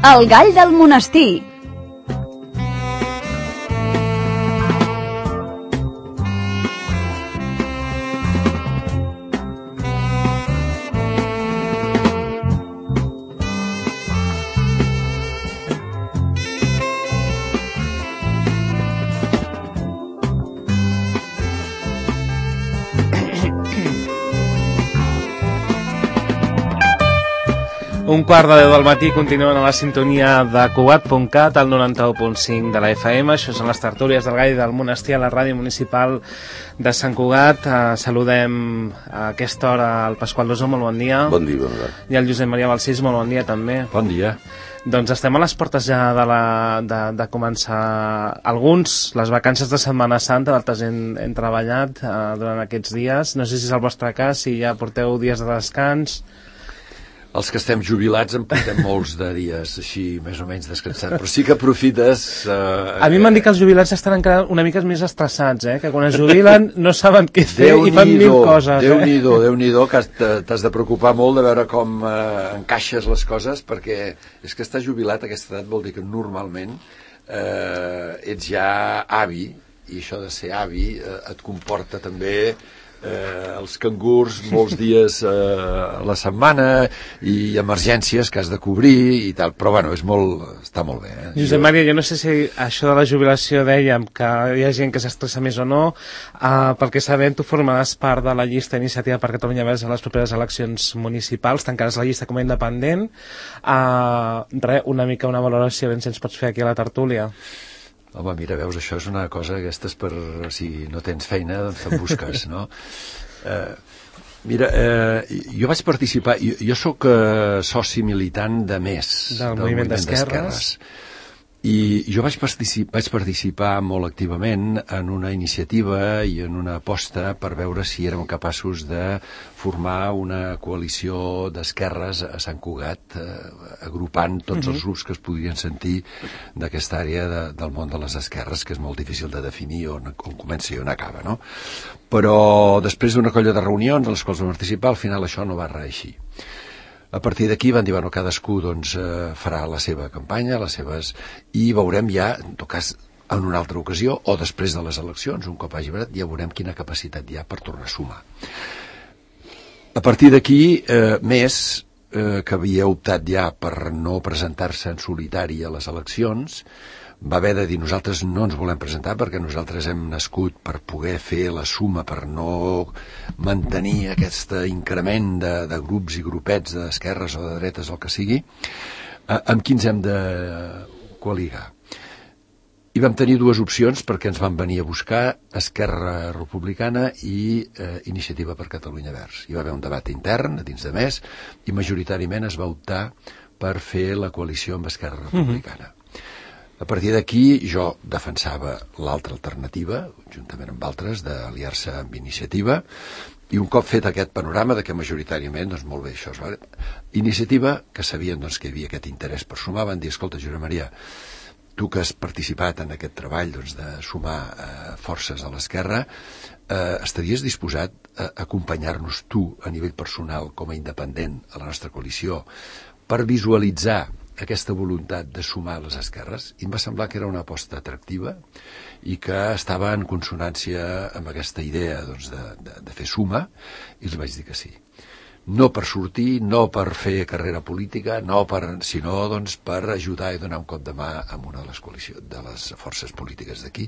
El gall del monestir. Un quart de 10 del matí, continuen a la sintonia de Cugat.cat, al 91.5 de la FM. Això són les tertúlies del Gall del Monestir a la ràdio municipal de Sant Cugat. Saludem a aquesta hora el Pasqual Lozó, molt bon dia. Bon dia, bon dia. I el Josep Maria Balsís, molt bon dia també. Bon dia. Doncs estem a les portes ja de començar alguns, les vacances de Setmana Santa, d'altres hem treballat durant aquests dies. No sé si és el vostre cas, si ja porteu dies de descans. Els que estem jubilats en portem molts de dies així, més o menys descansats, però sí que aprofites... A mi m'han dit que els jubilats estan encara una mica més estressats, que quan es jubilen no saben què fer i fan mil coses. Déu-n'hi-do, que t'has de preocupar molt de veure com encaixes les coses, perquè és que estar jubilat a aquesta edat vol dir que normalment ets ja avi, i això de ser avi et comporta també... els cangurs molts dies a la setmana i emergències que has de cobrir i tal, però bueno, està molt bé. Josep Maria, jo no sé si això de la jubilació dèiem que hi ha gent que s'estressa més o no, perquè sabem tu formaràs part de la llista Iniciativa per Catalunya Verds a les properes eleccions municipals, tancaràs la llista com a independent. Una mica una valoració, ben si ens pots fer aquí a la tertúlia. Home, mira, veus, això és una cosa, aquestes per... si no tens feina, doncs te'n busques, no? Mira, jo vaig participar... Jo sóc soci militant de MES, del Moviment d'Esquerres. I jo vaig participar molt activament en una iniciativa i en una aposta per veure si érem capaços de formar una coalició d'esquerres a Sant Cugat, agrupant tots els grups que es podrien sentir d'aquesta àrea del món de les esquerres, que és molt difícil de definir on comença i on acaba, no? Però després d'una colla de reunions en les quals vam participar, al final això no va reeixir. A partir d'aquí van dir, bueno, cadascú doncs, farà la seva campanya, les seves... i veurem ja, en tot cas, en una altra ocasió, o després de les eleccions, un cop hagi venat, ja veurem quina capacitat hi ha per tornar a sumar. A partir d'aquí, MES, que havia optat ja per no presentar-se en solitari a les eleccions, va haver de dir, nosaltres no ens volem presentar perquè nosaltres hem nascut per poder fer la suma, per no mantenir aquest increment de grups i grupets d'esquerres o de dretes, el que sigui, amb qui ens hem de coaligar. I vam tenir dues opcions perquè ens van venir a buscar Esquerra Republicana i Iniciativa per Catalunya Verds. Hi va haver un debat intern a dins de MES i majoritàriament es va optar per fer la coalició amb Esquerra Republicana. A partir d'aquí jo defensava l'altra alternativa, juntament amb altres, d'aliar-se amb Iniciativa, i un cop fet aquest panorama de que majoritàriament, doncs molt bé, això és... Iniciativa, que sabien doncs, que hi havia aquest interès per sumar, van dir, escolta, Josep Maria, tu que has participat en aquest treball doncs, de sumar forces a l'esquerra, estaries disposat a acompanyar-nos tu a nivell personal com a independent a la nostra coalició per visualitzar aquesta voluntat de sumar les esquerres? I em va semblar que era una aposta atractiva i que estava en consonància amb aquesta idea doncs, de fer suma, i els vaig dir que sí. No per sortir, no per fer carrera política, sinó doncs, per ajudar i donar un cop de mà a una de les forces polítiques d'aquí,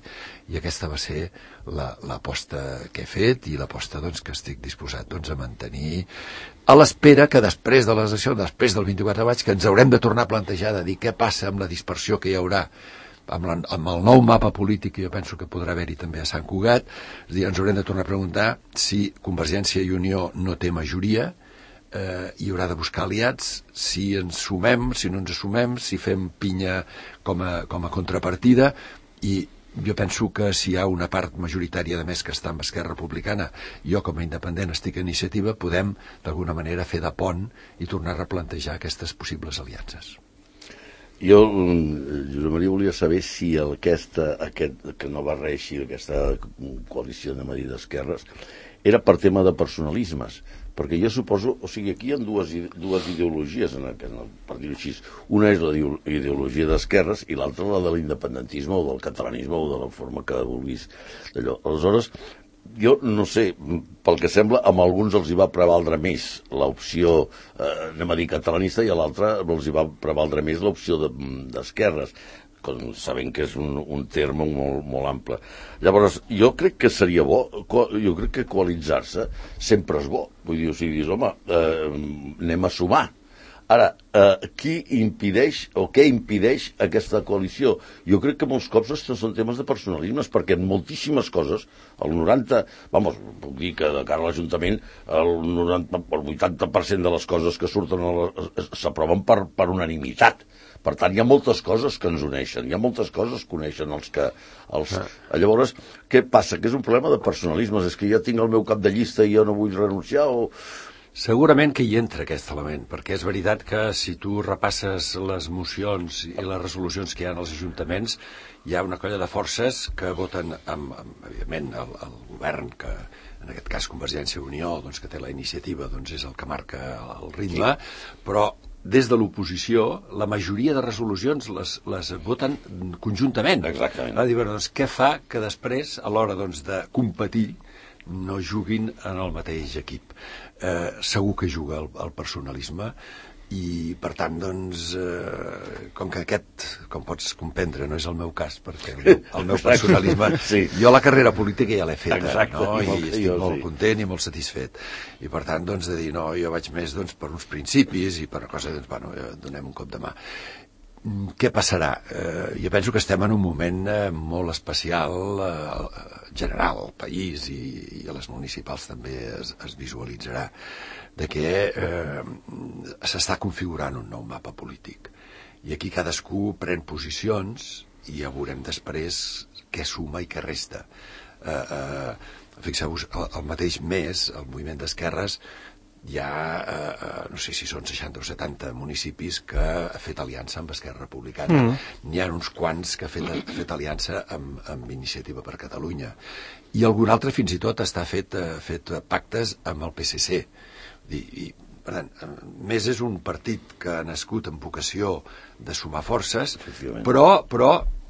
i aquesta va ser l'aposta que he fet i l'aposta doncs, que estic disposat doncs, a mantenir, a l'espera que després de les eleccions, després del 24 de maig, que ens haurem de tornar a plantejar de dir què passa amb la dispersió que hi haurà amb el nou mapa polític, que jo penso que podrà haver-hi també a Sant Cugat. És a dir, ens haurem de tornar a preguntar si Convergència i Unió no té majoria, hi haurà de buscar aliats, si ens sumem, si no ens sumem, si fem pinya com a contrapartida, i jo penso que si hi ha una part majoritària de més que està amb Esquerra Republicana, jo com a independent estic a Iniciativa, podem d'alguna manera fer de pont i tornar a replantejar aquestes possibles aliances. Jo, Josep Maria, volia saber si aquest que no va reeixir, aquesta coalició de Madrid d'Esquerres, era per tema de personalismes, perquè jo suposo, o sigui, aquí hi ha dues ideologies, per dir-ho així. Una és la ideologia d'esquerres i l'altra la de l'independentisme o del catalanisme o de la forma que vulguis d'allò. Aleshores, jo no sé, pel que sembla, amb alguns els hi va prevaldre més l'opció, anem a dir, catalanista, i a l'altra els hi va prevaldre més l'opció d'esquerres, sabent que és un terme molt, molt ample. Llavors, jo crec que seria bo, jo crec que coalitzar-se sempre és bo. Vull dir, o sigui, dius, home, anem a sumar. Ara, qui impedeix o què impedeix aquesta coalició? Jo crec que molts cops són temes de personalismes, perquè en moltíssimes coses, el 90, puc dir que de cara a l'Ajuntament, el 80% de les coses que surten s'aproven per unanimitat. Per tant, hi ha moltes coses que ens uneixen, hi ha moltes coses que uneixen els que... Llavors, què passa? Que és un problema de personalismes, és que ja tinc el meu cap de llista i jo no vull renunciar o... Segurament que hi entra aquest element, perquè és veritat que si tu repasses les mocions i les resolucions que hi ha als ajuntaments, hi ha una colla de forces que voten evidentment, el govern, que en aquest cas Convergència i Unió, doncs, que té la iniciativa, doncs és el que marca el ritme, però des de l'oposició, la majoria de resolucions les voten conjuntament. Exactament. Doncs, què fa que després, a l'hora de competir, no juguin en el mateix equip? Segur que juga el personalisme i, per tant, doncs, com que aquest, com pots comprendre, no és el meu cas, perquè el meu personalisme... Sí. Jo la carrera política ja l'he feta, exacte, no? I estic molt content i molt satisfet. I, per tant, doncs, de dir, no, jo vaig més per uns principis i per una cosa, doncs, bueno, donem un cop de mà. Què passarà? Jo penso que estem en un moment molt especial general al país i a les municipals també es visualitzarà de que s'està configurant un nou mapa polític i aquí cadascú pren posicions i ja veurem després què suma i què resta. Fixeu-vos, el mateix mes el moviment d'esquerres hi ha, no sé si són 60 o 70 municipis que ha fet aliança amb Esquerra Republicana. N'hi ha uns quants que ha fet aliança amb Iniciativa per Catalunya. I algun altre fins i tot ha fet pactes amb el PSC. I, per tant, més és un partit que ha nascut amb vocació de sumar forces, però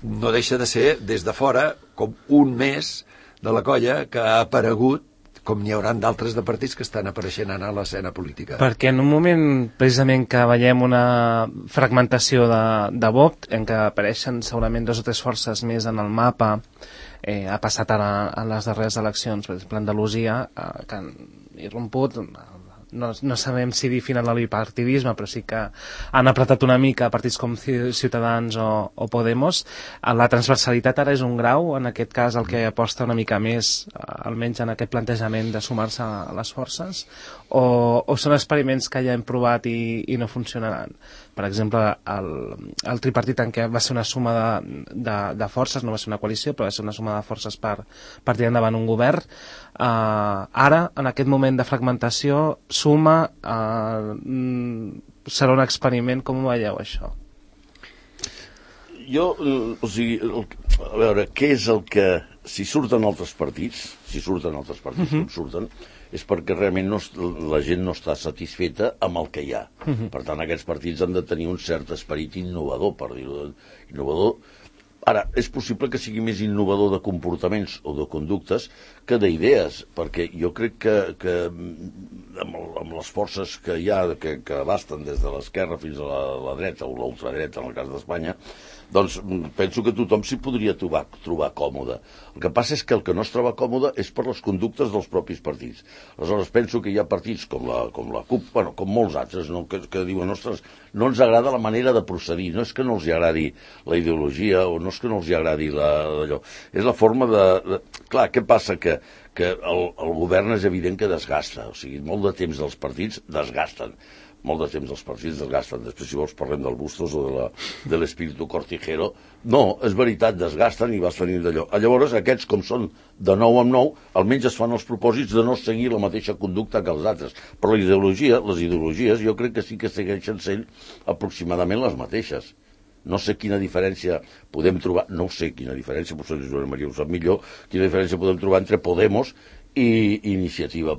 no deixa de ser, des de fora, com un més de la colla que ha aparegut com n'hi haurà d'altres de partits que estan apareixent a l'escena política. Perquè en un moment, precisament, que veiem una fragmentació de vot, en què apareixen segurament 2 o 3 forces més en el mapa, ha passat ara en les darreres eleccions, per exemple, Andalusia, que han irromput... No sabem si dir final al bipartidisme, però sí que han apretat una mica partits com Ciutadans o Podemos. La transversalitat ara és un grau, en aquest cas el que aposta una mica més, almenys en aquest plantejament de sumar-se a les forces, o són experiments que ja hem provat i no funcionaran. Per exemple, el tripartit en què va ser una suma de forces, no va ser una coalició, però va ser una suma de forces per tirar endavant un govern. Ara, en aquest moment de fragmentació, suma, serà un experiment. Com ho veieu, això? Jo, o sigui, a veure, què és el que... Si surten altres partits, com surten, és perquè realment la gent no està satisfeta amb el que hi ha. Per tant, aquests partits han de tenir un cert esperit innovador, per dir-ho innovador. Ara, és possible que sigui més innovador de comportaments o de conductes que d'idees, perquè jo crec que amb les forces que hi ha, que abasten des de l'esquerra fins a la dreta o l'ultradreta, en el cas d'Espanya, doncs penso que tothom s'hi podria trobar còmode. El que passa és que el que no es troba còmode és per les conductes dels propis partits. Aleshores, penso que hi ha partits com la CUP, bueno, com molts altres, no? que diuen, ostres, no ens agrada la manera de procedir, no és que no els agradi la ideologia o no és que no els agradi allò. És la forma de... Clar, què passa? Que el govern és evident que desgasta, o sigui, molt de temps dels partits desgasten. Molt de temps els partits desgasten. Després, si vols, parlem del Bustos o de l'espíritu cortijero. No, és veritat, desgasten i vas tenint d'allò. Llavors, aquests, com són de nou en nou, almenys es fan els propòsits de no seguir la mateixa conducta que els altres. Però les ideologies, jo crec que sí que segueixen sent aproximadament les mateixes. No sé quina diferència podem trobar, potser Joan Maria ho sap millor, quina diferència podem trobar entre Podemos i Iniciativa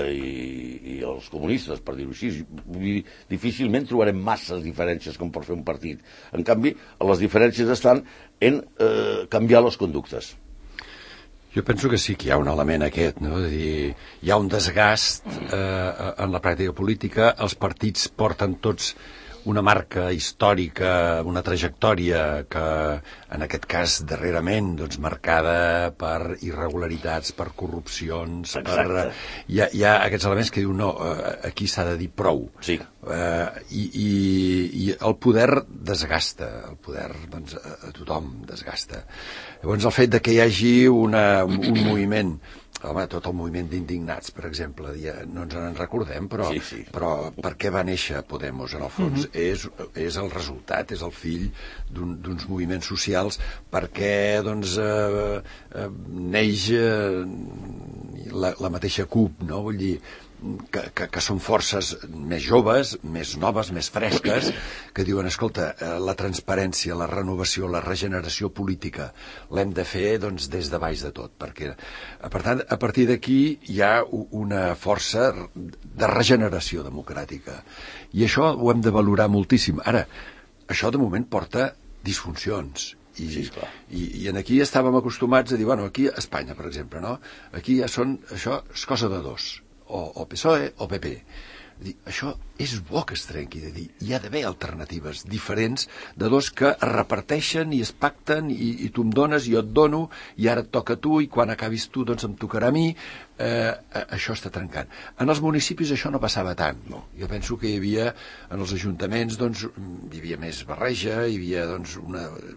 i els comunistes, per dir-ho així. Difícilment trobarem masses diferències com per fer un partit. En canvi, les diferències estan en canviar les conductes. Jo penso que sí que hi ha un element aquest, no? És a dir, hi ha un desgast en la pràctica política, els partits porten tots una marca històrica, una trajectòria que, en aquest cas, darrerament, doncs, marcada per irregularitats, per corrupcions, per... Hi ha aquests elements que diuen, no, aquí s'ha de dir prou. Sí. I el poder desgasta, el poder, doncs, a tothom desgasta. Llavors, el fet de que hi hagi un moviment... Home, tot el moviment d'indignats, per exemple, no ens en recordem, però per què va néixer Podemos, en el fons? És el resultat, és el fill d'uns moviments socials, perquè doncs, neix la mateixa CUP, no? Vull dir, que són forces més joves, més noves, més fresques, que diuen, escolta, la transparència, la renovació, la regeneració política l'hem de fer doncs, des de baix de tot, perquè, per tant, a partir d'aquí hi ha una força de regeneració democràtica. I això ho hem de valorar moltíssim. Ara, això de moment porta disfuncions. I aquí estàvem acostumats a dir, bueno, aquí a Espanya, per exemple, no? Aquí ja això és cosa de dos. O PSOE o PP. Això és bo que es trenqui, de dir, hi ha d'haver alternatives diferents de dos que es reparteixen i es pacten i tu em dones, jo et dono, i ara et toca a tu, i quan acabis tu, doncs em tocarà a mi. Això està trencant. En els municipis això no passava tant. No. Jo penso que hi havia, en els ajuntaments, doncs, hi havia més barreja, doncs,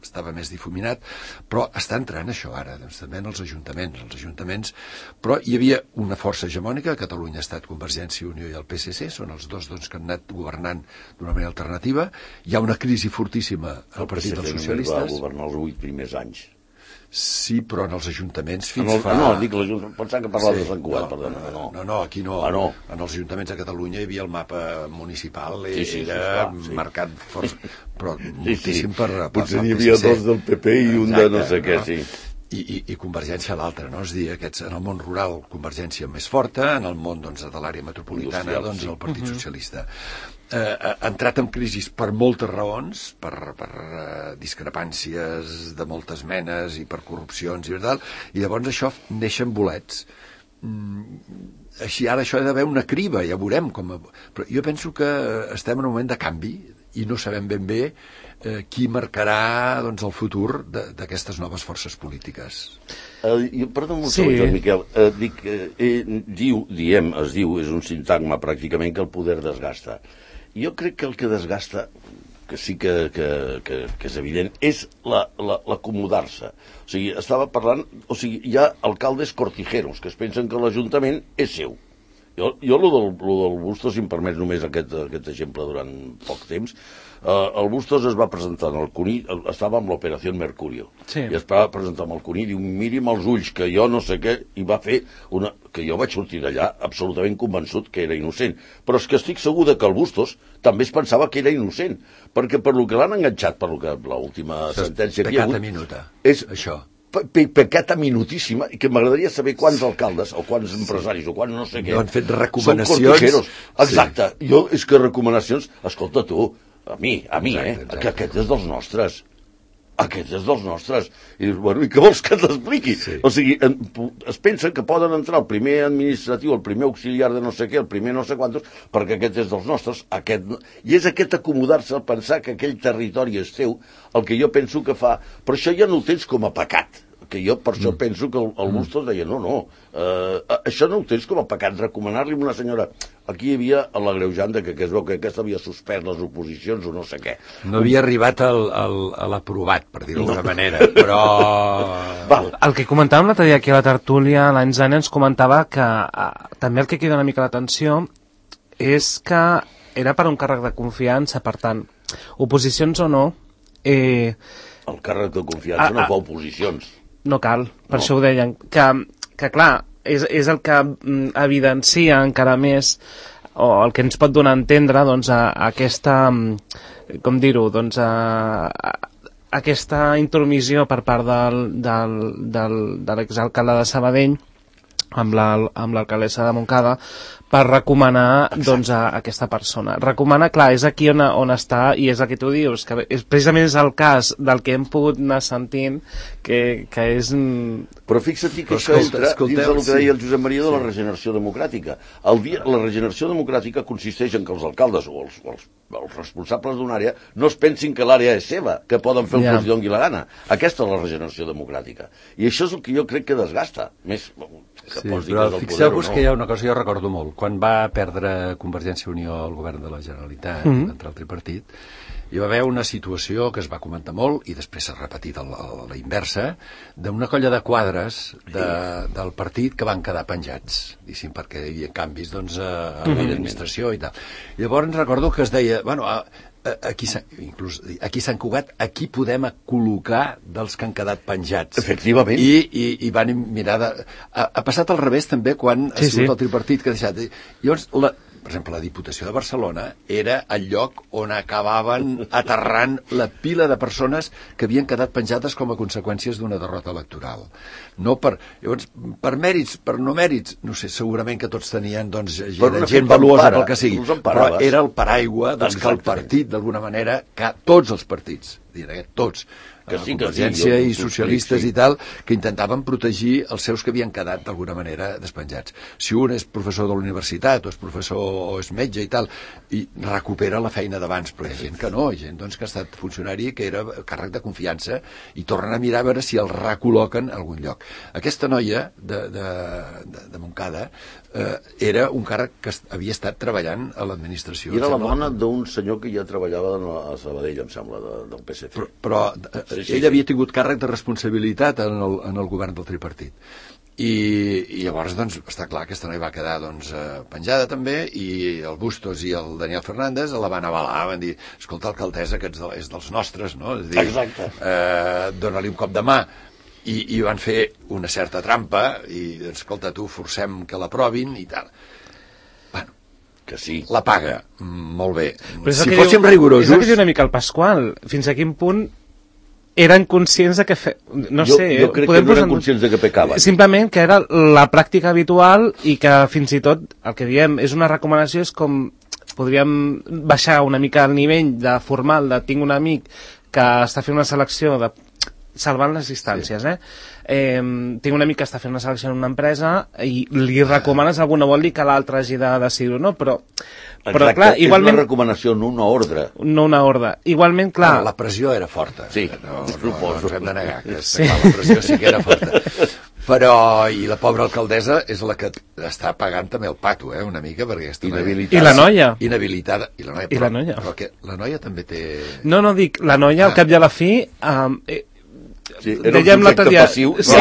estava més difuminat, però està entrant això ara, doncs, també en els ajuntaments, però hi havia una força hegemònica, a Catalunya ha estat Convergència i Unió i el PSC, són els dos doncs, que han anat governant d'una manera alternativa. Hi ha una crisi fortíssima al Partit dels Socialistes. El PSC va governar els 8 primers anys. Sí, però en els ajuntaments No, dic l'Ajuntament, pensava que parlava de Sant Cugat, perdona. No, aquí no. En els ajuntaments de Catalunya hi havia el mapa municipal, era marcat però moltíssim per potser n'hi havia dos del PP i un de no sé què, sí. I Convergència a l'altra, no? És dir, en el món rural Convergència més forta, en el món doncs, de l'àrea metropolitana doncs, el Partit Socialista. Ha entrat en crisi per moltes raons, per discrepàncies de moltes menes i per corrupcions i tal, i llavors això neixen bolets. Així ara això ha d'haver una criba, ja veurem com... Però jo penso que estem en un moment de canvi i no sabem ben bé qui marcarà doncs, el futur d'aquestes noves forces polítiques. Perdó un segon, Miquel. Es diu, és un sintagma pràcticament, que el poder desgasta. Jo crec que el que desgasta, que sí que és evident, és l'acomodar-se. O sigui, estava parlant... O sigui, hi ha alcaldes cortijeros que es pensen que l'Ajuntament és seu. Jo lo del Bustos, si em permets només aquest exemple durant poc temps, el Bustos es va presentar en el CUNY, estava amb l'Operació Mercurio, i es va presentar amb el CUNY, diu, miri'm els ulls, que jo no sé què, i va fer que jo vaig sortir d'allà absolutament convençut que era innocent. Però és que estic segur que el Bustos també es pensava que era innocent, perquè per lo que l'han enganxat, per lo que l'última sentència que hi ha hagut... Pecata minuta, això. Pecata minutíssima, i que m'agradaria saber quants alcaldes o quants empresaris o quants no sé què no han fet recomanacions. Exacte, jo és que recomanacions, escolta tu, a mi, exacte. Que aquest és dels nostres, i dius, bueno, i què vols que t'expliqui? Sí. O sigui, es pensen que poden entrar el primer administratiu, el primer auxiliar de no sé què, el primer no sé quantos, perquè aquest és dels nostres, i és aquest acomodar-se al pensar que aquell territori és seu, el que jo penso que fa, però això ja no ho tens com a pecat, que jo per això penso que el Bustos deia, no, això no ho tens com a pecat, recomanar-li a una senyora, aquí hi havia l'agreujant que es veu que aquesta havia suspès les oposicions o no sé què. No havia arribat a l'aprovat, per dir-ho d'alguna manera, però... El que comentàvem l'altre dia aquí a la tertúlia, l'any Zana ens comentava que també el que crida una mica l'atenció és que era per un càrrec de confiança, per tant, oposicions o no... El càrrec de confiança no fa oposicions. No cal, per això ho deien, que clar, és el que evidencia encara més, o el que ens pot donar a entendre, doncs, aquesta, com dir-ho, doncs, aquesta intromissió per part de l'exalcalde de Sabadell, amb l'alcaldessa de Montcada per recomanar doncs, a aquesta persona. Recomanar, clar, és aquí on està, i és el que tu dius, que precisament és el cas del que hem pogut anar sentint, que és... Però fixa't que això entra dins del que deia el Josep Maria de la regeneració democràtica. La regeneració democràtica consisteix en que els alcaldes o els responsables d'una àrea no es pensin que l'àrea és seva, que poden fer el que els doni la gana. Aquesta és la regeneració democràtica. I això és el que jo crec que desgasta. Més que pots dir que és el poder o no. Fixeu-vos que hi ha una cosa que jo recordo molt. Quan va perdre Convergència i Unió al govern de la Generalitat, entre el tripartit, hi va haver una situació que es va comentar molt, i després s'ha repetit a la inversa, d'una colla de quadres del partit que van quedar penjats, perquè hi havia canvis doncs, a l'administració i tal. Llavors recordo que es deia, bueno, aquí Sant Cugat, aquí podem col·locar dels que han quedat penjats. Efectivament. I van mirar ha passat al revés també quan ha sigut el tripartit que ha deixat. Llavors, per exemple, la Diputació de Barcelona era el lloc on acabaven aterrant la pila de persones que havien quedat penjades com a conseqüències d'una derrota electoral. Llavors, per mèrits, per no mèrits, no sé, segurament que tots tenien doncs, gent valuosa pel que sigui, però era el paraigua doncs, que el partit, d'alguna manera, que tots els partits, tots, Convergència i socialistes i tal, que intentaven protegir els seus que havien quedat d'alguna manera despenjats. Si un és professor de la universitat o és professor o és metge i tal, i recupera la feina d'abans, però hi ha gent que no, hi ha gent doncs, que ha estat funcionari que era càrrec de confiança i tornen a mirar a veure si el recol·loquen a algun lloc. Aquesta noia de Montcada era un càrrec que havia estat treballant a l'administració. I era la dona d'un senyor que ja treballava a Sabadell, em sembla, del PSC. Però ell havia tingut càrrec de responsabilitat en el govern del tripartit. I llavors, doncs, està clar que aquesta noia va quedar doncs, penjada també, i el Bustos i el Daniel Fernández la van avalar, van dir, escolta, alcaldessa, que és dels nostres, no? És dir, dona-li un cop de mà. I van fer una certa trampa, i, escolta, tu, forcem que l'aprovin i tal. Bueno, que sí. La paga, molt bé. Si fóssim rigorosos... És el que diu una mica el Pasqual, fins a quin punt eren conscients de que... Jo crec que no eren conscients de que pecaven. Simplement que era la pràctica habitual i que fins i tot, el que diem, és una recomanació, és com podríem baixar una mica el nivell de formal de tinc un amic que està fent una selecció de salvant les distàncies, tinc un amic que està fent una selecció en una empresa i li recomanes alguna, vol dir que l'altre hagi de decidir o no, però clar, igualment... És una recomanació, no una ordre. No una ordre. Igualment, clar... La pressió era forta. Sí, no ens hem de negar, que la pressió sí que era forta. Però, i la pobra alcaldessa és la que està pagant també el pato, una mica, perquè està inhabilitada. I la noia. Inhabilitada. I la noia. Però que la noia també té... No, dic, la noia, al cap i a la fi... era un subjecte passiu. Sí,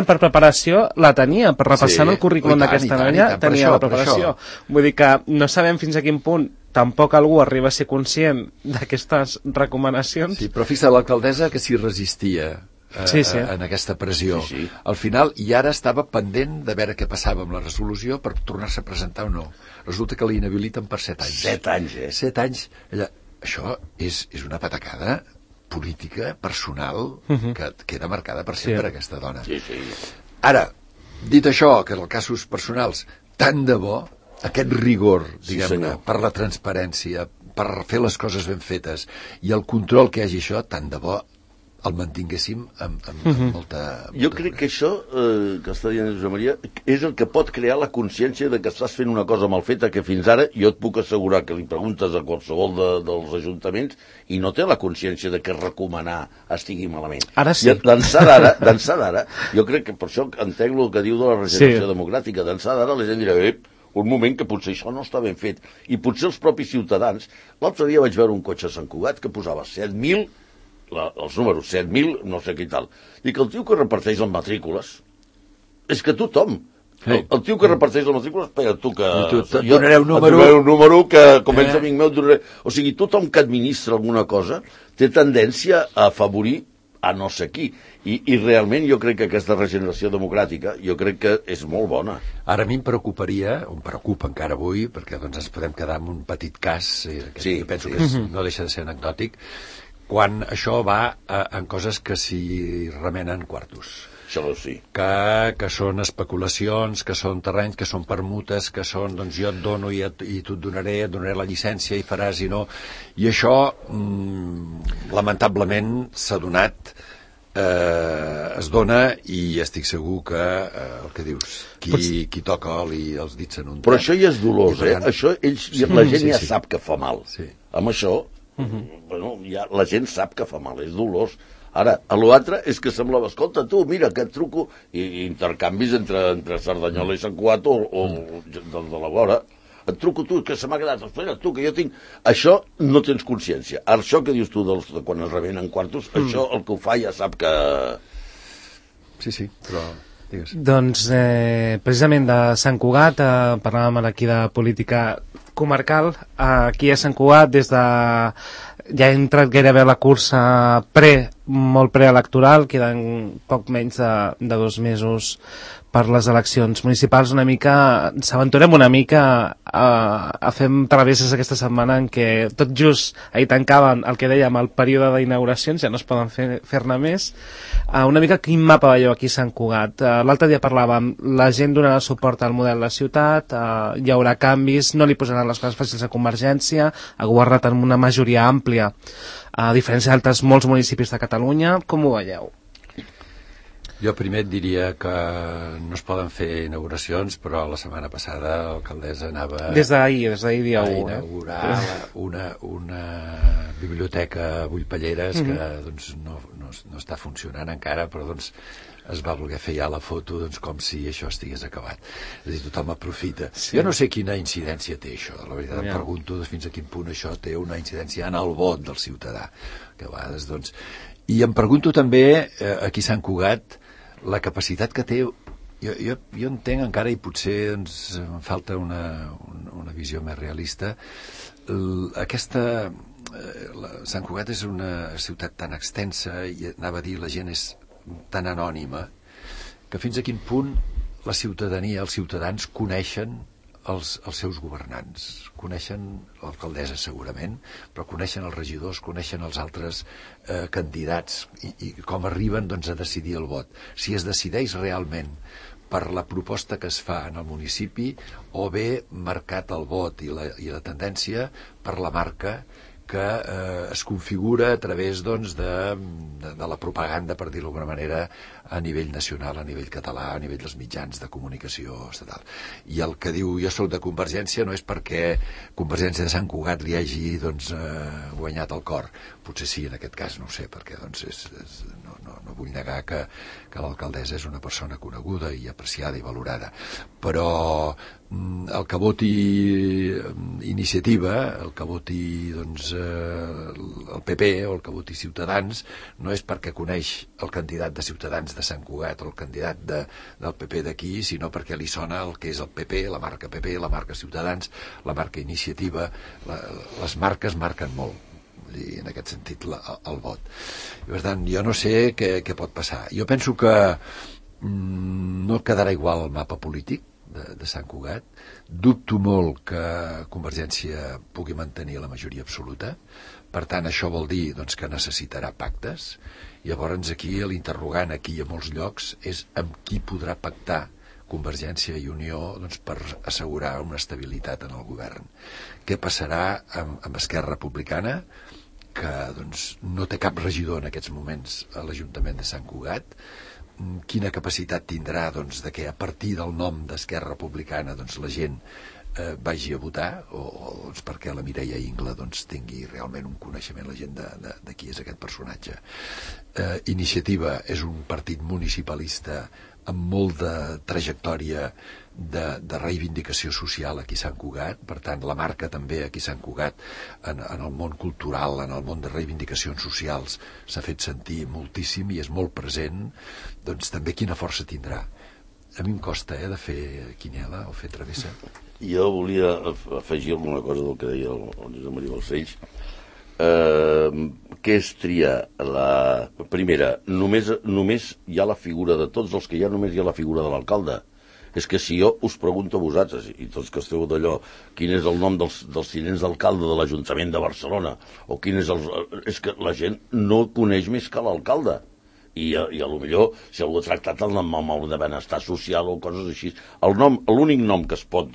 per preparació la tenia, per repassar el currículum d'aquesta noia tenia la preparació. Vull dir que no sabem fins a quin punt tampoc algú arriba a ser conscient d'aquestes recomanacions. Sí, però fixa l'alcaldessa que s'hi resistia en aquesta pressió. Al final, i ara estava pendent de veure què passava amb la resolució per tornar-se a presentar o no. Resulta que l'inhabiliten per 7 anys. 7 anys, 7 anys. Això és una patacada política, personal, que queda marcada per sempre, aquesta dona. Ara, dit això, que en els casos personals, tant de bo, aquest rigor, diguem-ne, per la transparència, per fer les coses ben fetes, i el control que hi hagi això, tant de bo el mantinguéssim amb molta... Jo crec que això, que està dient Josep Maria, és el que pot crear la consciència de que estàs fent una cosa mal feta, que fins ara jo et puc assegurar que li preguntes a qualsevol dels ajuntaments i no té la consciència de que recomanar estigui malament. Ara sí. D'ençà d'ara, jo crec que per això entenc el que diu de la regeneració democràtica, d'ençà d'ara la gent dirà, un moment que potser això no està ben fet. I potser els propis ciutadans... L'altre dia vaig veure un cotxe a Sant Cugat que posava 7.000, els números 7.000, no sé què i tal, i que el tio que reparteix les matrícules és que tothom, el tio que reparteix les matrícules, espera, tu que... Et donaré un número que, com ets amic meu, o sigui, tothom que administra alguna cosa té tendència a afavorir a no sé qui, i realment jo crec que aquesta regeneració democràtica jo crec que és molt bona. Ara a mi em preocuparia, em preocupa encara avui, perquè doncs ens podem quedar amb un petit cas, que penso que no deixa de ser anecdòtic, quan això va en coses que s'hi remenen quartos. Això sí. Que són especulacions, que són terrenys, que són permutes, que són, doncs jo et dono i tu et donaré la llicència i faràs i no. I això, lamentablement, s'ha donat, es dona, i estic segur que el que dius, qui toca oli els dits en un... Però això ja és dolós, Això la gent ja sap que fa mal. Amb això, la gent sap que fa mal, és dolós. Ara, l'altre és que semblava, escolta, tu, mira, que et truco, i intercanvis entre Cerdanyola i Sant Cugat o del de la vora, et truco tu, que se m'ha quedat, espera, tu, que jo tinc... Això no tens consciència. Això que dius tu de quan es rebenen quartos, això el que ho fa ja sap que... Sí, però... Digues. Doncs, precisament de Sant Cugat, parlàvem aquí de política comarcal, aquí a Sant Cugat, des de... Ja ha entrat gairebé la cursa molt preelectoral, queden poc menys de 2 mesos per les eleccions municipals. S'aventurem una mica a fer travesses aquesta setmana en què tot just ahir tancaven el que dèiem el període d'inauguracions, ja no es poden fer-ne més. Una mica quin mapa veieu aquí a Sant Cugat? L'altre dia parlàvem, la gent donarà suport al model de la ciutat, hi haurà canvis, no li posaran les coses fàcils a Convergència, ha governat amb una majoria àmplia, a diferència d'altres molts municipis de Catalunya. Com ho veieu? Jo primer et diria que no es poden fer inauguracions, però la setmana passada l'alcaldessa anava... Des d'ahir dia 1. A inaugurar una biblioteca a Bullpelleres que doncs, no està funcionant encara, però doncs, es va voler fer ja la foto com si això estigués acabat. És a dir, tothom aprofita. Sí. Jo no sé quina incidència té això, la veritat. Em pregunto fins a quin punt això té una incidència en el vot del ciutadà. Que a vegades, doncs... I em pregunto també, aquí a Sant Cugat, la capacitat que té, jo entenc encara, i potser doncs, em falta una visió més realista, Sant Cugat és una ciutat tan extensa, i anava a dir, la gent és tan anònima, que fins a quin punt la ciutadania, els ciutadans coneixen els seus governants, coneixen l'alcaldessa segurament, però coneixen els regidors, coneixen els altres candidats i com arriben doncs, a decidir el vot. Si es decideix realment per la proposta que es fa en el municipi o bé marcat el vot i la tendència per la marca que es configura a través doncs, de la propaganda, per dir-ho d'alguna manera, a nivell nacional, a nivell català, a nivell dels mitjans de comunicació estatal. I el que diu jo soc de Convergència no és perquè Convergència de Sant Cugat li hagi doncs, guanyat el cor. Potser sí, en aquest cas, no ho sé, perquè doncs, no vull negar que l'alcaldessa és una persona coneguda i apreciada i valorada. Però el que voti Iniciativa, el que voti doncs, el PP o el que voti Ciutadans, no és perquè coneix el candidat de Ciutadans de Sant Cugat o el candidat del PP d'aquí, sinó perquè li sona el que és el PP, la marca PP, la marca Ciutadans, la marca Iniciativa. Les marques marquen molt, i en aquest sentit el vot. I, per tant, jo no sé què pot passar. Jo penso que no quedarà igual el mapa polític de Sant Cugat. Dubto molt que Convergència pugui mantenir la majoria absoluta. Per tant, això vol dir doncs, que necessitarà pactes. Llavors aquí l'interrogant aquí a molts llocs és amb qui podrà pactar Convergència i Unió doncs, per assegurar una estabilitat en el govern. Què passarà amb Esquerra Republicana, que doncs, no té cap regidor en aquests moments a l'Ajuntament de Sant Cugat? Quina capacitat tindrà doncs, de que a partir del nom d'Esquerra Republicana doncs, la gent vagi a votar, o doncs, perquè la Mireia Ingla doncs, tingui realment un coneixement, la gent de qui és aquest personatge. Iniciativa és un partit municipalista amb molt de trajectòria de reivindicació social aquí a Sant Cugat. Per tant, la marca també aquí a Sant Cugat en el món cultural, en el món de reivindicacions socials s'ha fet sentir moltíssim i és molt present. Doncs també quina força tindrà. A mi em costa de fer quiniela o fer travessa. Jo volia afegir alguna cosa del que deia el Josep Maria Balcells. Què és triar la primera? Només hi ha la figura de tots els que hi ha, només hi ha la figura de l'alcalde. És que si jo us pregunto a vosaltres, i tots que esteu d'allò, quin és el nom dels tinents d'alcalde de l'Ajuntament de Barcelona, o quin és és que la gent no coneix més que l'alcalde. i a lo millor si algú ha tractat el nom amb el de benestar social o coses així. L'únic nom que es pot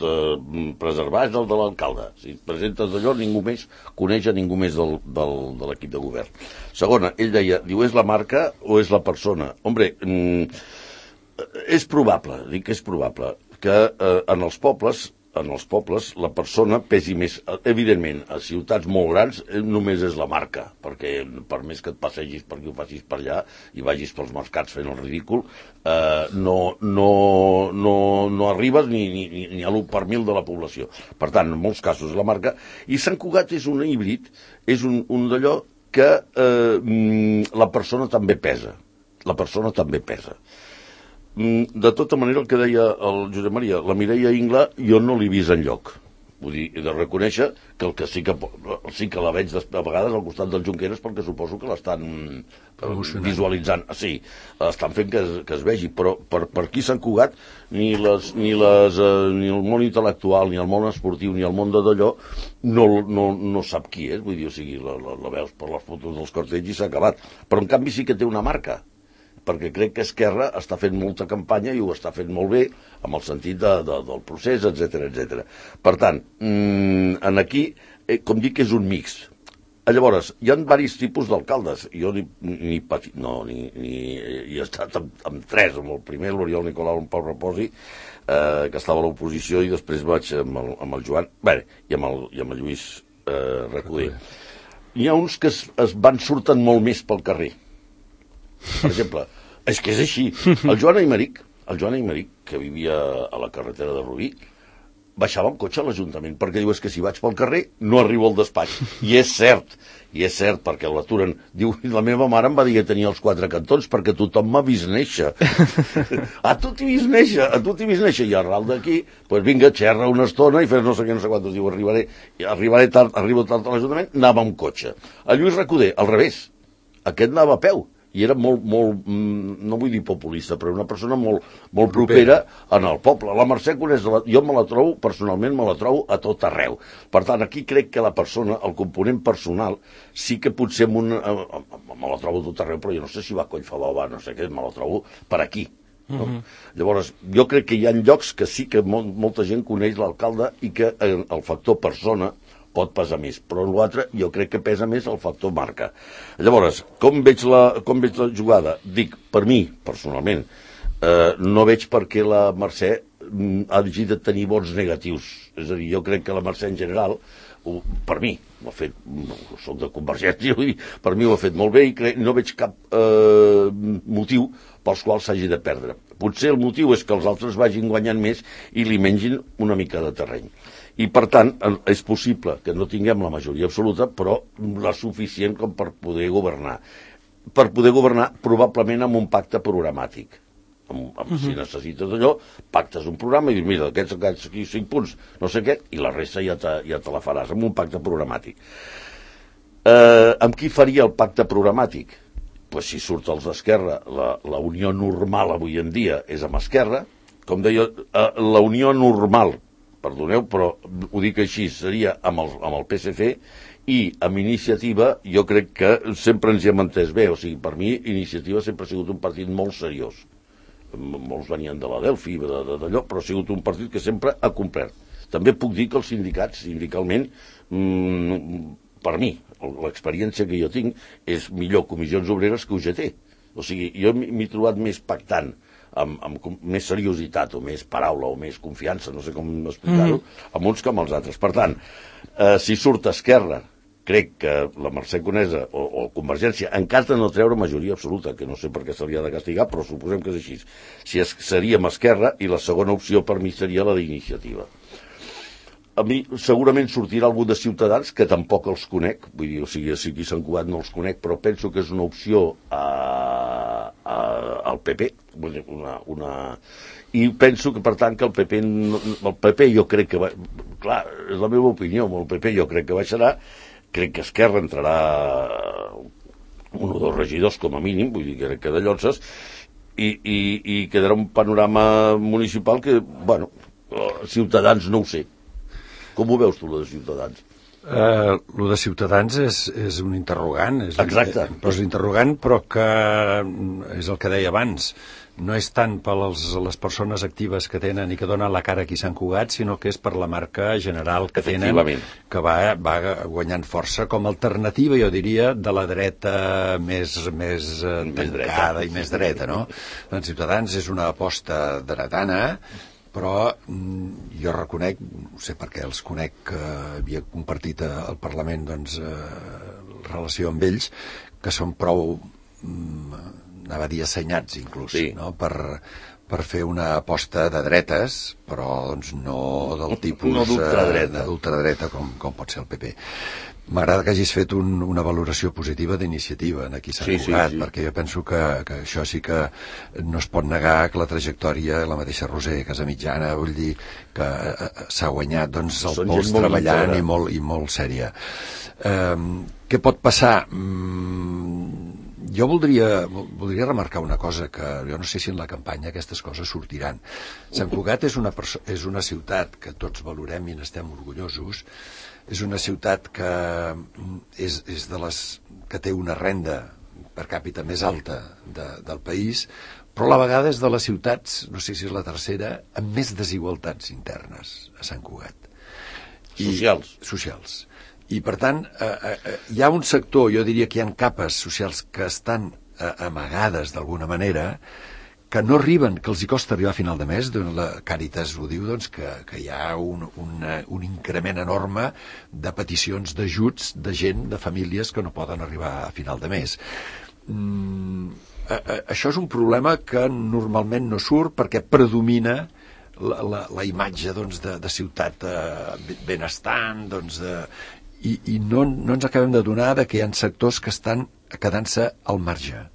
preservar és el de l'alcalde. Si et presentes d'allò, ningú més coneix a ningú més de l'equip de govern. Segona, ell deia, diu, és la marca o és la persona? Hombre, és probable, dic que és probable, que en els pobles la persona pesi més. Evidentment, a ciutats molt grans només és la marca, perquè per més que et passegis per aquí o passis per allà i vagis pels mercats fent el ridícul, no arribes ni a l'1 per 1000 de la població. Per tant, en molts casos és la marca. I Sant Cugat és un híbrid, és un d'allò que la persona també pesa. La persona també pesa. De tota manera, el que deia el Josep Maria, la Mireia Ingla jo no l'he vist enlloc. Vull dir, he de reconèixer que el que sí que la veig a vegades al costat del Junqueras, perquè suposo que l'estan visualitzant. Sí, estan fent que es vegi, però per aquí Sant Cugat ni el món intel·lectual, ni el món esportiu, ni el món d'allò no sap qui és. Vull dir, o sigui, la veus per les fotos dels cartells i s'ha acabat. Però en canvi sí que té una marca, perquè crec que Esquerra està fent molta campanya i ho està fent molt bé, amb el sentit del procés, etc. Per tant, aquí, com dic, és un mix. Llavors, hi ha diversos tipus d'alcaldes. Jo he estat amb 3, amb el primer, l'Oriol Nicolau, en Pau Reposi, que estava a l'oposició, i després vaig amb el Joan, i amb el Lluís Recoder. Hi ha uns que surten molt més pel carrer. Per exemple, és que és així. El Joan Aymeric, que vivia a la carretera de Rubí, baixava amb cotxe a l'Ajuntament, perquè diu, és que si vaig pel carrer no arribo al despatx. I és cert, perquè l'aturen. Diu, la meva mare em va dir que tenia els 4 cantons, perquè tothom m'ha vist néixer. A tu t'hi vist néixer, i arral d'aquí, doncs vinga, xerra una estona i fes no sé què, no sé quantos. Diu, arribaré tard, arribo tard a l'Ajuntament, anava amb cotxe. El Lluís Recoder, al revés, aquest anava a peu, i era molt, no vull dir populista, però una persona molt propera en el poble. La Mercè Conesa, jo personalment me la trobo a tot arreu. Per tant, aquí crec que la persona, el component personal, sí que potser me la trobo a tot arreu, però jo no sé si va a Collfabà o va, no sé què, me la trobo per aquí. No? Llavors, jo crec que hi ha llocs que sí que molta gent coneix l'alcalde i que el factor persona pot pesar més, però l'altre jo crec que pesa més el factor marca. Llavors, com veig la jugada? Dic, per mi, personalment, no veig per què la Mercè hagi de tenir vots negatius. És a dir, jo crec que la Mercè en general, per mi, ho ha fet, soc de Convergència, per mi ho ha fet molt bé i no veig cap motiu pels quals s'hagi de perdre. Potser el motiu és que els altres vagin guanyant més i li mengin una mica de terreny. I, per tant, és possible que no tinguem la majoria absoluta, però la suficient com per poder governar. Per poder governar, probablement amb un pacte programàtic. Si necessites allò, pactes un programa i dius, mira, aquests 5 punts, no sé què, i la resta ja te la faràs, amb un pacte programàtic. Amb qui faria el pacte programàtic? Pues si surt els d'Esquerra, la unió normal avui en dia és amb Esquerra. Com deia, la unió normal, perdoneu, però ho dic així, seria amb el PSC, i amb Iniciativa jo crec que sempre ens hi hem entès bé. O sigui, per mi Iniciativa sempre ha sigut un partit molt seriós. Molts venien de la Delphi, d'allò, però ha sigut un partit que sempre ha complert. També puc dir que els sindicats, sindicalment, per mi, l'experiència que jo tinc és millor Comissions Obreres que UGT. O sigui, jo m'he trobat més pactant, amb més seriositat o més paraula o més confiança, no sé com explicar-ho, amb uns que amb els altres. Per tant, si surt Esquerra, crec que la Mercè Conesa o Convergència, en cas de no treure majoria absoluta, que no sé per què s'hauria de castigar, però suposem que és així, seria amb Esquerra, i la segona opció per mi seria la d'Iniciativa. A mi segurament sortirà algú de Ciutadans, que tampoc els conec, vull dir, o sigui, si aquí Sant Cugat no els conec, però penso que és una opció al PP, i penso que, per tant, que el PP jo crec que clar, és la meva opinió, el PP jo crec que baixarà, crec que Esquerra entrarà 1 o 2 regidors com a mínim, vull dir, crec que de llotses, i quedarà un panorama municipal que, bueno, Ciutadans no ho sé. Com ho veus tu, la de Ciutadans? Lo de Ciutadans és un interrogant. Exacte. Però és interrogant, però que és el que deia abans. No és tant per les persones actives que tenen i que donen la cara aquí a Sant Cugat, sinó que és per la marca general que tenen, que va guanyant força com a alternativa, jo diria, de la dreta més tancada i més dreta, no? Doncs Ciutadans és una aposta dretana, però jo reconec, no sé per què els conec, que havia compartit al Parlament relació amb ells, que són prou anava a dir assenyats inclús, sí, no? per fer una aposta de dretes, però no del tipus no d'ultradreta com pot ser el PP. M'agrada que hagis fet una valoració positiva d'iniciativa aquí a Sant Cugat, perquè jo penso que això sí que no es pot negar, que la trajectòria, la mateixa Roser Casamitjana, vull dir que s'ha guanyat el pols treballant i molt sèria. Què pot passar? Jo voldria remarcar una cosa, que jo no sé si en la campanya aquestes coses sortiran. Sant Cugat és una ciutat que tots valorem i n'estem orgullosos. És una ciutat que és de les que té una renda per càpita més alta del país, però a la vegada és de les ciutats, no sé si és la tercera, amb més desigualtats internes a Sant Cugat. Socials. I, per tant, hi ha un sector, jo diria que hi ha capes socials que estan amagades d'alguna manera, que no arriben, que els hi costa arribar a final de mes. La Càritas ho diu, que hi ha un increment enorme de peticions d'ajuts de gent, de famílies que no poden arribar a final de mes. Això és un problema que normalment no surt perquè predomina la imatge de ciutat benestant, i no ens acabem d'adonar que hi ha sectors que estan quedant-se al marge.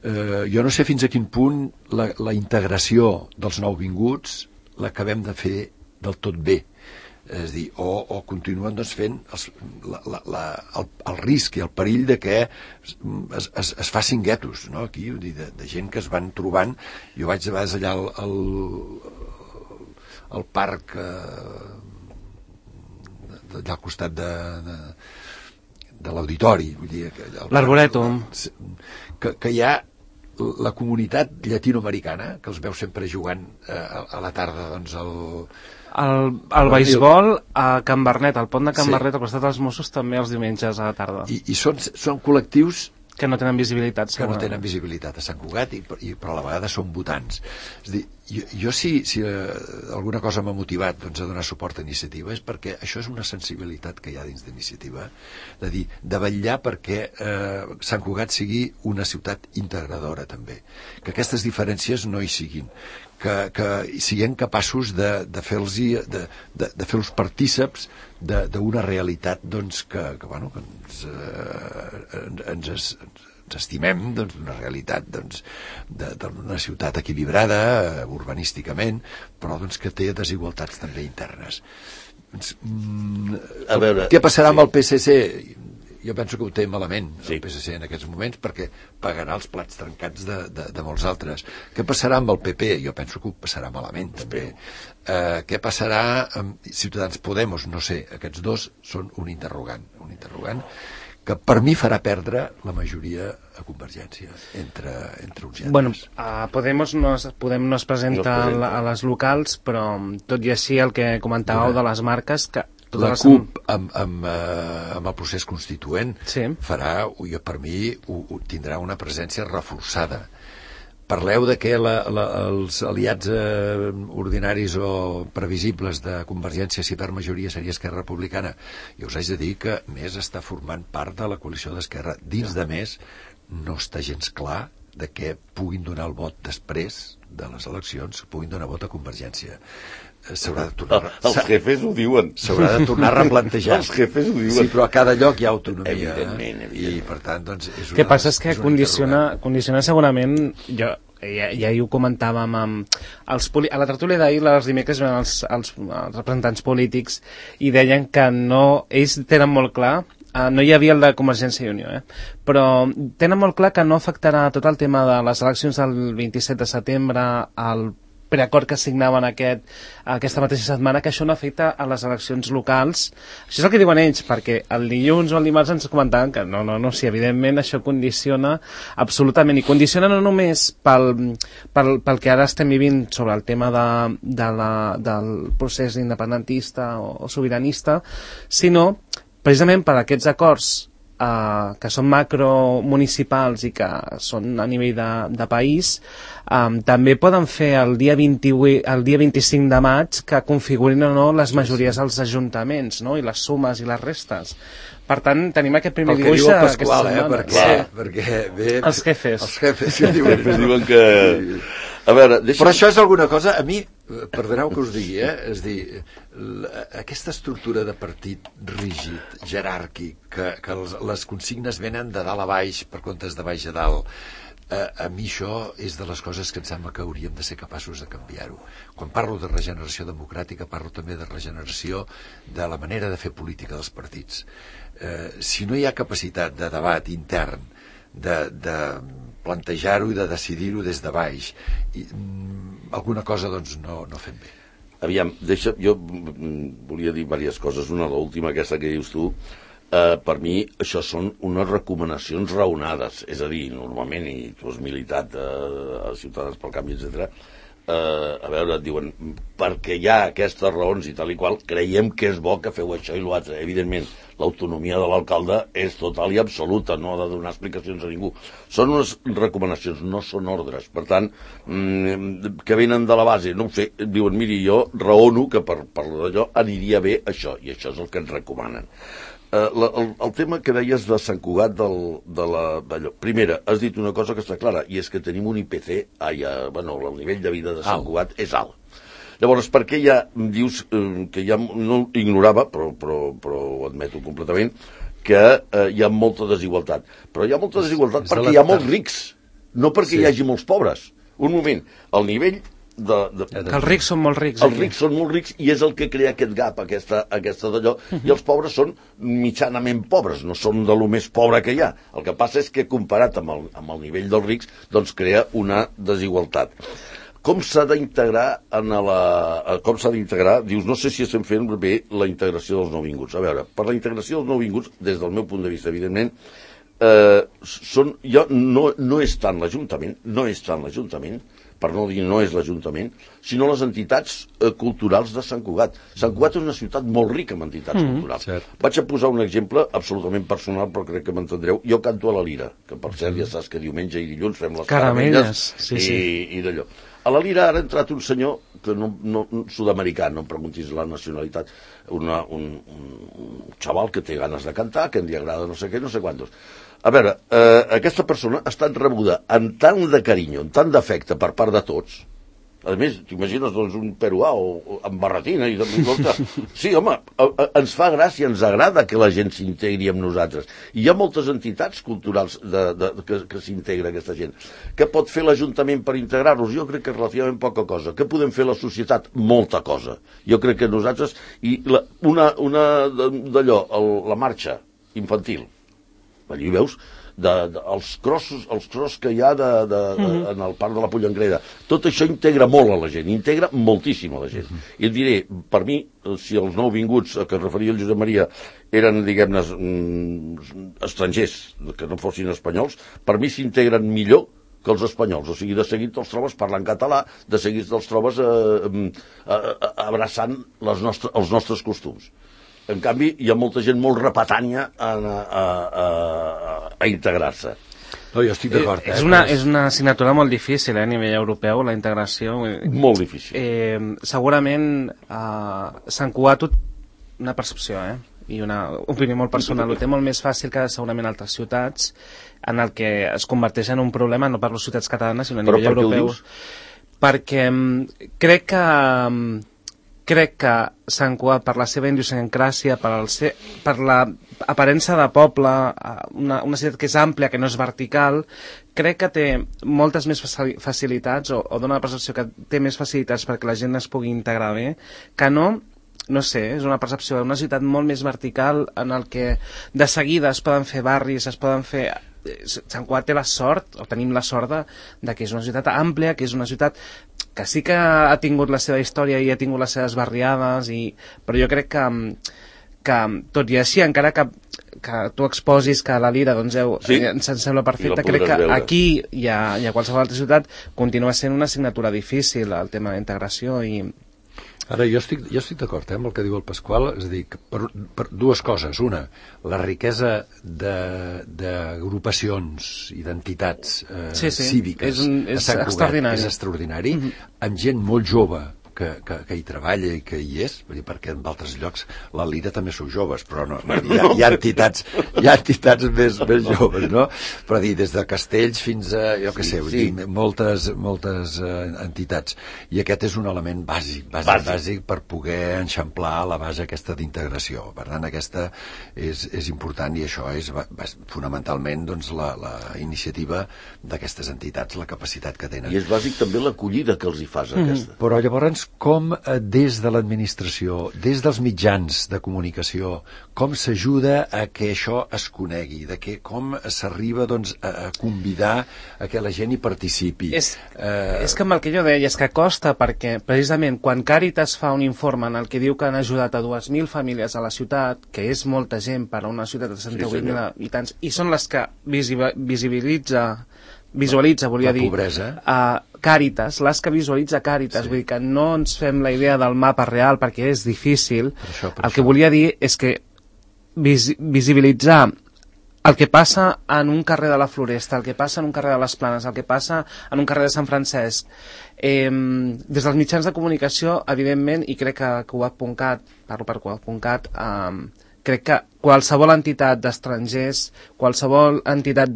Jo no sé fins a quin punt la integració dels nouvinguts l'acabem de fer del tot bé. És a dir, o continuen fent el risc i el perill de que es facin guetos, no? Aquí, de gent que es van trobant. Jo vaig a vegades allà al parc allà al costat de l'auditori, vull dir, l'Arborètum, que hi ha la comunitat llatinoamericana, que els veu sempre jugant a la tarda, el beisbol a Can Bernet, al pont de Can Bernet, al costat dels Mossos, també els diumenges a la tarda. I són col·lectius que no tenen visibilitat. Que no tenen visibilitat a Sant Cugat, però a la vegada són votants. És a dir, jo si alguna cosa m'ha motivat a donar suport a Iniciativa és perquè això és una sensibilitat que hi ha dins d'Iniciativa, de dir, de vetllar perquè Sant Cugat sigui una ciutat integradora també, que aquestes diferències no hi siguin, que siguem capaços de fer-los partíceps d'una realitat que ens estimem, d'una realitat d'una ciutat equilibrada urbanísticament, però que té desigualtats també internes. Què passarà amb el PSC? Jo penso que ho té malament el PSC en aquests moments, perquè pagarà els plats trencats de molts altres. Què passarà amb el PP? Jo penso que ho passarà malament també. Què passarà amb Ciutadans Podemos? No sé, aquests dos són un interrogant que per mi farà perdre la majoria a Convergència entre uns i altres. Bueno, Podemos no es presenta a les locals, però tot i així el que comentàveu de les marques, que la CUP amb el procés constituent farà, per mi, tindrà una presència reforçada. Parleu de que els aliats ordinaris o previsibles de Convergència, si per majoria seria Esquerra Republicana. Jo us haig de dir que Més està formant part de la coalició d'Esquerra. Dins de Més no està gens clar de que puguin donar el vot després de les eleccions, puguin donar vot a Convergència. S'haurà de tornar... Els jefes ho diuen. S'haurà de tornar a replantejar. Els jefes ho diuen. Sí, però a cada lloc hi ha autonomia. Evidentment. I, per tant, és una... El que passa és que condiciona segurament... Ja ho comentàvem a la tertúlia d'ahir, els dimecres ven els representants polítics i deien que ells tenen molt clar, no hi havia el de Convergència i Unió, però tenen molt clar que no afectarà tot el tema de les eleccions del 27 de setembre al preacord que signaven aquesta mateixa setmana, que això no afecta a les eleccions locals. Això és el que diuen ells, perquè el dilluns o el dimarts ens comentaven que no, sí, evidentment això condiciona absolutament, i condiciona no només pel que ara estem vivint sobre el tema del procés independentista o sobiranista, sinó precisament per aquests acords que són macromunicipals i que són a nivell de país, també poden fer el dia 25 de maig que configurin o no les majories als ajuntaments, no? I les sumes i les restes. Per tant, tenim aquest primer dibuix aquesta setmana. Perquè bé, els jefes que diuen que... A veure, però això és alguna cosa, a mi, perdoneu que us digui, és dir, aquesta estructura de partit rígid, jeràrquic, que les consignes venen de dalt a baix per comptes de baix a dalt, a mi això és de les coses que em sembla que hauríem de ser capaços de canviar-ho. Quan parlo de regeneració democràtica, parlo també de regeneració de la manera de fer política dels partits. Si no hi ha capacitat de debat intern, de plantejar-ho i de decidir-ho des de baix, alguna cosa doncs no fem bé. Aviam, jo volia dir diverses coses. Una, l'última, aquesta que dius tu, per mi això són unes recomanacions raonades, és a dir, normalment, i tu has militat a Ciutadans pel Canvi, etc. A veure, et diuen, perquè hi ha aquestes raons i tal i qual, creiem que és bo que feu això i l'altre. Evidentment, l'autonomia de l'alcalde és total i absoluta, no ha de donar explicacions a ningú. Són unes recomanacions, no són ordres. Per tant, que venen de la base, no ho sé, diuen, miri, jo raono que per d'allò aniria bé això, i això és el que ens recomanen. El tema que deies de Sant Cugat d'allò. Primera, has dit una cosa que està clara, i és que tenim un IPC, el nivell de vida de Sant Cugat és alt. Llavors, per què ja dius que ja no ignorava, però ho admeto completament, que hi ha molta desigualtat? Però hi ha molta desigualtat perquè hi ha molts rics, no perquè hi hagi molts pobres. Un moment, el nivell que els rics són molt rics. Els rics són molt rics i és el que crea aquest gap, aquesta d'allò, i els pobres són mitjanament pobres, no són de lo més pobre que hi ha. El que passa és que comparat amb el nivell dels rics, doncs crea una desigualtat. Com s'ha d'integrar dius, no sé si estem fent bé la integració dels nouvinguts. A veure, per la integració dels nouvinguts, des del meu punt de vista, evidentment, no és tant l'Ajuntament, per no dir no és l'Ajuntament, sinó les entitats culturals de Sant Cugat. Sant Cugat és una ciutat molt rica en entitats culturals. Vaig a posar un exemple absolutament personal, però crec que m'entendreu. Jo canto a la Lira, que per cert ja saps que diumenge i dilluns fem les caramelles i d'allò. A la Lira ara ha entrat un senyor que sud-americà, no em preguntis la nacionalitat, un xaval que té ganes de cantar, que li agrada no sé què, no sé quantos. A veure, aquesta persona ha estat rebuda amb tant de carinyo, amb tant d'afecte per part de tots. A més, t'imagines doncs, un peruà o amb barretina i sí, home, ens fa gràcia, ens agrada que la gent s'integri amb nosaltres. I hi ha moltes entitats culturals que s'integra aquesta gent. Què pot fer l'Ajuntament per integrar-los? Jo crec que és relativament poca cosa. Què podem fer la societat? Molta cosa. Jo crec que nosaltres... I una d'allò, la marxa infantil. Allí veus els crossos que hi ha en el parc de la Pollengrera. Tot això integra molt a la gent, integra moltíssim a la gent. I et diré, per mi, si els nouvinguts a què es referia el Josep Maria eren, diguem-ne, estrangers, que no fossin espanyols, per mi s'integren millor que els espanyols. O sigui, de seguit te'ls trobes parlant català, de seguit te'ls trobes abraçant els nostres costums. En canvi, hi ha molta gent molt repetània a integrar-se. No, jo estic d'acord. És una assignatura molt difícil, a nivell europeu, la integració. Molt difícil. Segurament, Sant Cugat, una percepció, i una opinió molt personal, ho té molt més fàcil que segurament altres ciutats, en el que es converteix en un problema, no parlo ciutats catalanes, sinó a nivell europeu. Perquè crec que Sant Cugat, per la seva idiosincràsia, per l'aparença de poble, una ciutat que és àmplia, que no és vertical, crec que té moltes més facilitats, o dona la percepció que té més facilitats perquè la gent es pugui integrar bé, que no sé, és una percepció d'una ciutat molt més vertical en el que de seguida es poden fer barris, es poden fer... Sant Cugat té la sort, o tenim la sort de que és una ciutat àmplia, que és una ciutat que sí que ha tingut la seva història i ha tingut les seves barriades, però jo crec que tot i així, encara que tu exposis que la Lira doncs, ens sembla perfecte, crec que aquí i a qualsevol altra ciutat continua sent una assignatura difícil el tema de la integració. Ara, jo estic d'acord amb el que diu el Pasqual, és a dir, per dues coses. Una, la riquesa d'agrupacions i d'entitats cíviques és extraordinari. És extraordinari, amb gent molt jove que hi treballa i que hi és, perquè en altres llocs la Lira també sou joves, però no, hi ha entitats més joves, no? Però dir, des de Castells fins a, jo què sé, moltes entitats. I aquest és un element bàsic per poder enxamplar la base aquesta d'integració. Per tant, aquesta és important, i això és fonamentalment doncs, la iniciativa d'aquestes entitats, la capacitat que tenen. I és bàsic també l'acollida que els hi fas, aquesta. Però llavors, com des de l'administració, des dels mitjans de comunicació, com s'ajuda a que això es conegui, com s'arriba doncs, a convidar a que la gent hi participi. És que amb el que jo deia és que costa, perquè precisament quan Càritas fa un informe en el que diu que han ajudat a 2.000 famílies a la ciutat, que és molta gent per a una ciutat de 68.000 habitants, i són les que visualitza, volia dir, Càritas, les que visualitza Càritas, vull dir que no ens fem la idea del mapa real perquè és difícil. El que volia dir és que visibilitzar el que passa en un carrer de la Floresta, el que passa en un carrer de les Planes, el que passa en un carrer de Sant Francesc, des dels mitjans de comunicació, evidentment, i crec que Coac.cat, parlo per Coac.cat, crec que qualsevol entitat d'estrangers, qualsevol entitat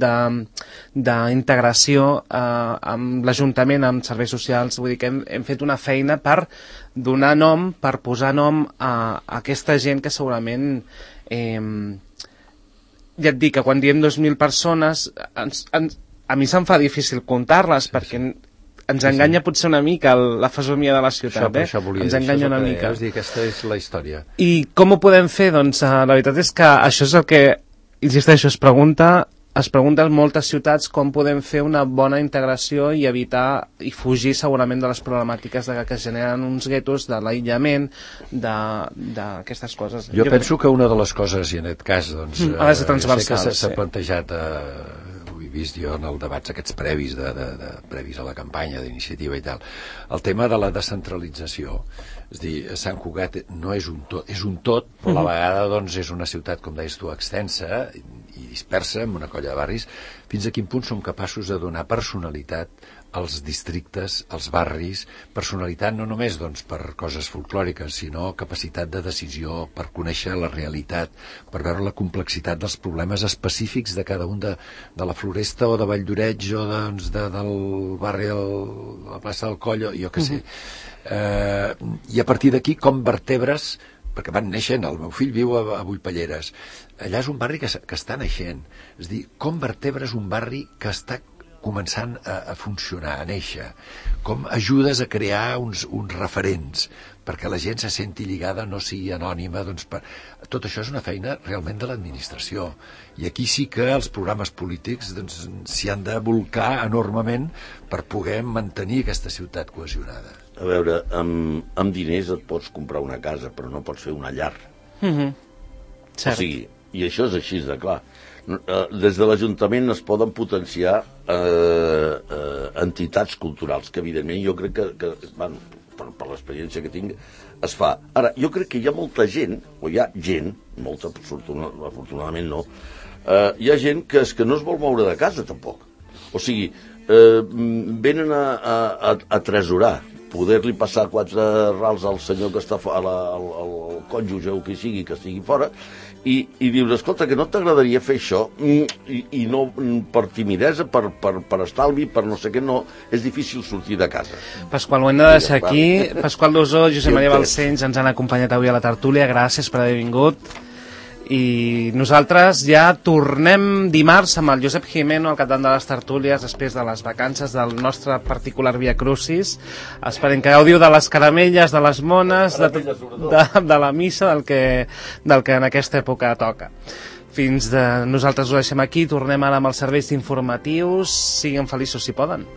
d'integració amb l'Ajuntament, amb serveis socials, vull dir que hem fet una feina per donar nom, per posar nom a aquesta gent que segurament, ja et dic que quan diem 2.000 persones, a mi se'm fa difícil comptar-les, perquè ens enganya potser una mica la fesomia de la ciutat, ens enganya una mica. És dir, aquesta és la història. I com ho podem fer? Doncs la veritat és que això és el que, insisteixo, es pregunten moltes ciutats com podem fer una bona integració i evitar i fugir segurament de les problemàtiques que es generen uns guetos, de l'aïllament, d'aquestes coses. Jo penso que una de les coses, i en aquest cas, doncs, sé que s'ha plantejat vist jo en els debats aquests previs previs a la campanya d'iniciativa i tal, el tema de la descentralització. És a dir, Sant Cugat no és un tot, és un tot, però a la vegada doncs, és una ciutat, com deies tu, extensa i dispersa, amb una colla de barris. Fins a quin punt som capaços de donar personalitat als districtes, als barris, personalitat no només doncs, per coses folclòriques, sinó capacitat de decisió, per conèixer la realitat, per veure la complexitat dels problemes específics de cada un de la Floresta o de Valldoreix o del barri de la plaça del Coll, jo què sé. I a partir d'aquí com vertebres, perquè van naixent, el meu fill viu a Vullpelleres, allà és un barri que està naixent, és a dir, com vertebres un barri que està començant a funcionar, a néixer, com ajudes a crear uns referents perquè la gent se senti lligada, no sigui anònima, doncs tot això és una feina realment de l'administració, i aquí sí que els programes polítics s'hi han de bolcar enormement per poder mantenir aquesta ciutat cohesionada. A veure, amb diners et pots comprar una casa, però no pots fer una llar. Cert. O sigui, i això és així de clar. Des de l'Ajuntament es poden potenciar entitats culturals, que evidentment jo crec que per l'experiència que tinc, es fa. Ara, jo crec que hi ha molta gent, o hi ha gent, molta, afortunadament no, hi ha gent que no es vol moure de casa, tampoc. O sigui, venen a tresorar, poder-li passar 4 rals al senyor que està al cònjuge o qui sigui que estigui fora, i dius, escolta, que no t'agradaria fer això, i no per timidesa, per estalvi, per no sé què, no, és difícil sortir de casa. Pasqual, ho hem de deixar aquí. Pasqual Dosó, Josep Maria Balcells ens han acompanyat avui a la tertúlia, gràcies per haver vingut. I nosaltres ja tornem dimarts amb el Josep Jimeno al capdavant de les tertúlies després de les vacances del nostre particular Via Crucis. Esperem que gaudiu de les caramelles, de les mones, de la missa, del que en aquesta època toca. Nosaltres ho deixem aquí, tornem ara amb els serveis informatius. Siguin feliços si poden.